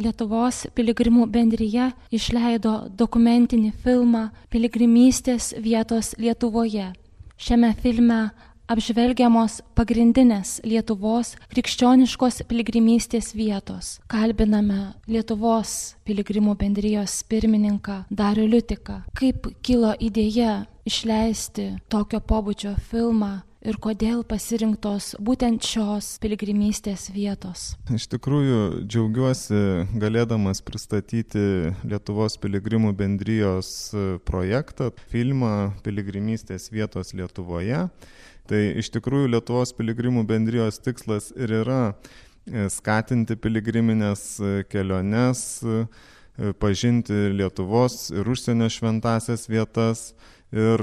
Lietuvos piligrimų bendrija išleido dokumentinį filmą Piligrimystės vietos Lietuvoje. Šiame filme apžvelgiamos pagrindinės Lietuvos krikščioniškos piligrimystės vietos. Kalbiname Lietuvos piligrimų bendrijos pirmininką Darių Liutiką. Kaip kilo idėja išleisti tokio pobūdžio filmą ir kodėl pasirinktos būtent šios piligrimystės vietos? Iš tikrųjų, džiaugiuosi galėdamas pristatyti Lietuvos piligrimų bendrijos projektą, filmą Piligrimystės vietos Lietuvoje. Tai iš tikrųjų Lietuvos piligrimų bendrijos tikslas ir yra skatinti piligriminės keliones, pažinti Lietuvos ir užsienio šventąsias vietas. Ir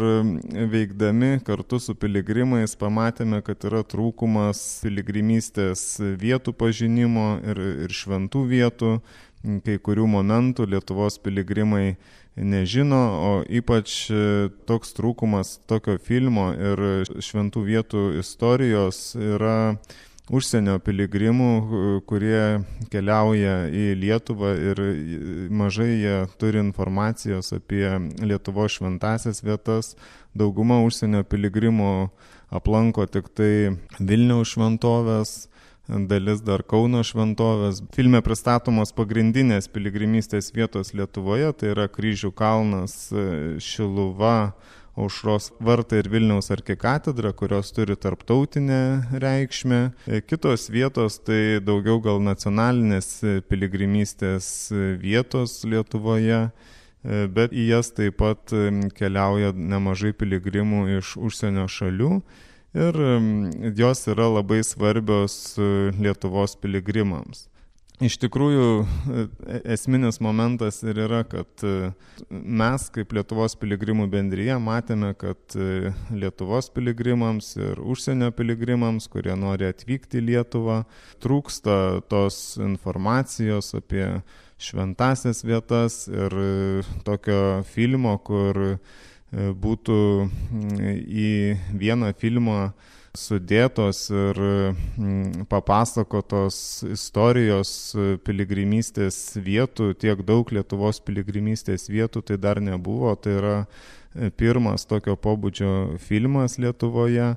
veikdami kartu su piligrimais pamatėme, kad yra trūkumas piligrimystės vietų pažinimo ir šventų vietų. Kai kurių momentų Lietuvos piligrimai nežino, o ypač toks trūkumas tokio filmo ir šventų vietų istorijos yra užsienio piligrimų, kurie keliauja į Lietuvą ir mažai jie turi informacijos apie Lietuvos šventąsias vietas. Dauguma užsienio piligrimų aplanko tik tai Vilniaus šventovės, dalis dar Kauno šventovės. Filme pristatomos pagrindinės piligrimystės vietos Lietuvoje, tai yra Kryžių kalnas, Šiluva, Aušros vartai ir Vilniaus arkikatedra, kurios turi tarptautinę reikšmę. Kitos vietos tai daugiau gal nacionalinės piligrimystės vietos Lietuvoje, bet į jas taip pat keliauja nemažai piligrimų iš užsienio šalių ir jos yra labai svarbios Lietuvos piligrimams. Iš tikrųjų, esminis momentas ir yra, kad mes kaip Lietuvos piligrimų bendrija matėme, kad Lietuvos piligrimams ir užsienio piligrimams, kurie nori atvykti į Lietuvą, trūksta tos informacijos apie šventąsias vietas ir tokio filmo, kur būtų į vieną filmą sudėtos ir papasakotos istorijos piligrimystės vietų, tiek daug Lietuvos piligrimystės vietų tai dar nebuvo. Tai yra pirmas tokio pobūdžio filmas Lietuvoje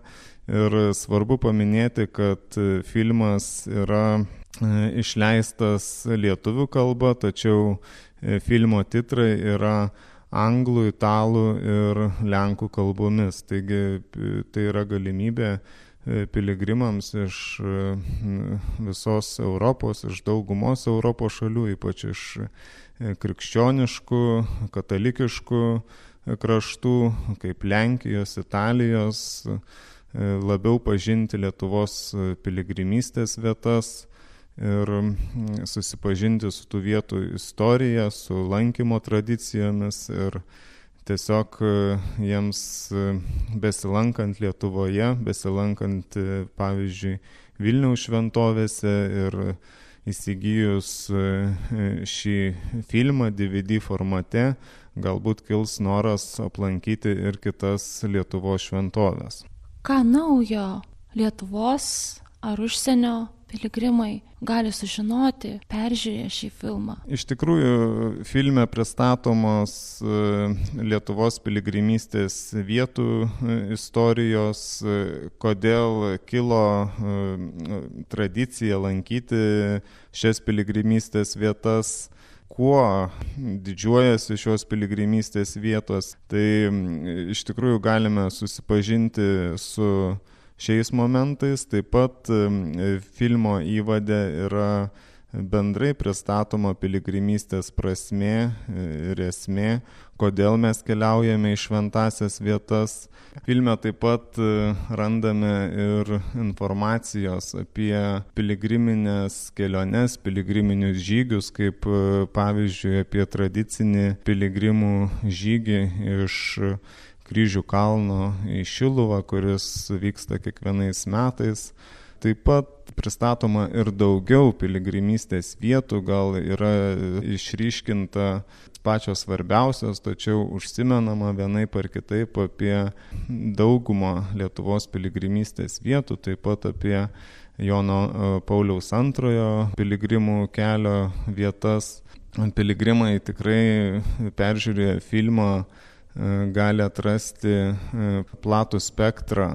ir svarbu paminėti, kad filmas yra išleistas lietuvių kalba, tačiau filmo titrai yra anglų, italų ir lenkų kalbomis. Taigi tai yra galimybė piligrimams iš visos Europos, iš daugumos Europos šalių, ypač iš krikščioniškų, katalikiškų kraštų, kaip Lenkijos, Italijos, labiau pažinti Lietuvos piligrimystės vietas ir susipažinti su tų vietų istorija, su lankymo tradicijomis ir tiesiog jiems besilankant Lietuvoje, besilankant pavyzdžiui Vilniaus šventovėse ir įsigijus šį filmą DVD formate, galbūt kils noras aplankyti ir kitas Lietuvos šventovės. Ką naujo Lietuvos ar užsienio piligrimai gali sužinoti, peržiūrėję šį filmą? Iš tikrųjų, filme pristatomos Lietuvos piligrimystės vietų istorijos, kodėl kilo tradicija lankyti šias piligrimystės vietas, kuo didžiuojasi šios piligrimystės vietos. Tai iš tikrųjų galime susipažinti su šiais momentais. Taip pat filmo įvade yra bendrai pristatoma piligrimystės prasmė ir esmė, kodėl mes keliaujame į šventąsias vietas. Filme taip pat randame ir informacijos apie piligriminės keliones, piligriminius žygius, kaip pavyzdžiui apie tradicinį piligrimų žygį iš Kryžių kalno į Šiluvą, kuris vyksta kiekvienais metais. Taip pat pristatoma ir daugiau piligrimystės vietų, gal yra išryškinta pačios svarbiausios, tačiau užsimenama vienaip ar kitaip apie daugumą Lietuvos piligrimystės vietų, taip pat apie Jono Pauliaus II piligrimų kelio vietas. Piligrimai tikrai peržiūrėję filmą gali atrasti platų spektrą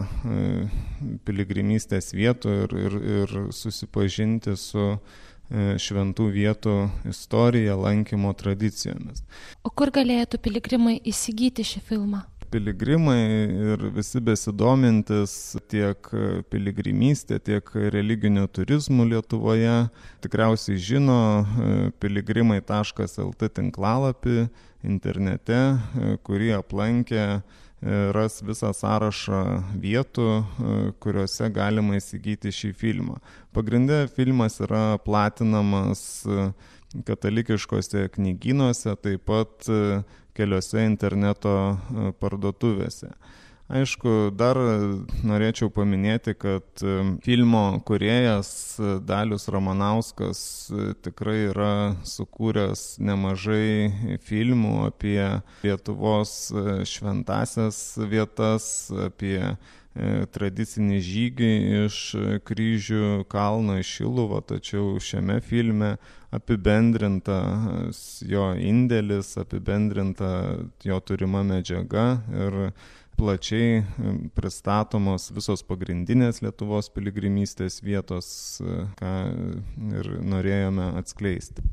piligrimystės vietų ir susipažinti su šventų vietų istorija, lankymo tradicijomis. O kur galėtų piligrimai įsigyti šį filmą? Piligrimai ir visi besidomintis tiek piligrimystė, tiek religiniu turizmu Lietuvoje tikriausiai žino piligrimai.lt tinklalapį internete, kurį aplankę ras visą sąrašą vietų, kuriuose galima įsigyti šį filmą. Pagrinde filmas yra platinamas katalikiškose knygynuose, taip pat keliose interneto parduotuvėse. Aišku, dar norėčiau paminėti, kad filmo kūrėjas Dalius Ramanauskas tikrai yra sukūręs nemažai filmų apie Lietuvos šventąsias vietas, apie tradicinį žygį iš Kryžių kalno į Šiluvą, tačiau šiame filme apibendrintas jo indėlis, apibendrinta jo turima medžiaga ir plačiai pristatomos visos pagrindinės Lietuvos piligrimystės vietos, ką ir norėjome atskleisti.